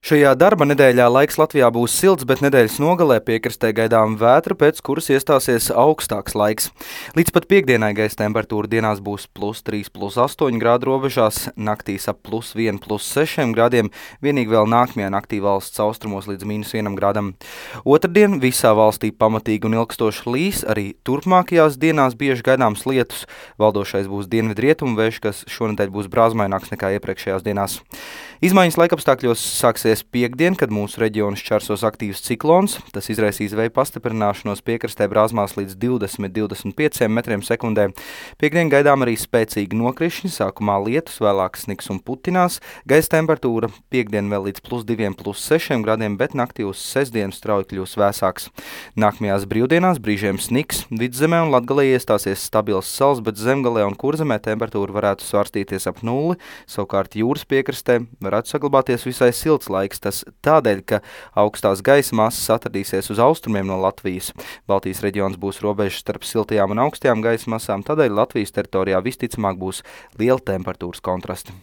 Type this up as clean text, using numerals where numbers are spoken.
Šajā darba nedēļā laiks Latvijā būs silts, bet nedēļas nogalē piekrastē gaidām vētra, pēc kuras iestāsies augstāks laiks. Līdz pat piekdienai gaisa temperatūra dienās būs +3, +8 grādu robežās, naktīs ap +1, +6 grādiem, vienīgi vēl nākamajā naktī valsts austrumos līdz -1 grādam. Otrdien visā valstī pamatīgi un ilgstoši līs, arī turpmākajās dienās bieži gaidāms lietus. Valdošais būs dienvidrietumu vējš, kas šonedēļ būs brāzmaināks nekā iepriekšējās dienās. Izmaiņas laikapstākļos sāksies piekdien, kad mūsu reģionu šķērsos aktīvs ciklons. Tas izraisīs vēja pastiprināšanos piekrastē brāzmās līdz 20–25 metriem sekundē. Piekdien gaidām arī spēcīgi nokrišņi, sākumā lietus, vēlāk sniks un putinās. Gaisa temperatūra piekdien vēl līdz +2, +6 grādiem, bet naktī uz sestdienu strauji kļūs vēsāks. Nākamajās brīvdienās brīžiem sniks, Vidzemē un Latgalē iestāsies stabils sals, bet Zemgalē un Kurzemē temperatūra varētu svārstīties ap nulli, savukārt jūras piekrastē varētu saglabāties visai silts laiks. Tas tādēļ, ka augstās gaisa masas atradīsies uz austrumiem no Latvijas. Baltijas reģions būs robežas starp siltajām un augstajām gaisa masām, tādēļ Latvijas teritorijā visticamāk būs liela temperatūras kontrasti.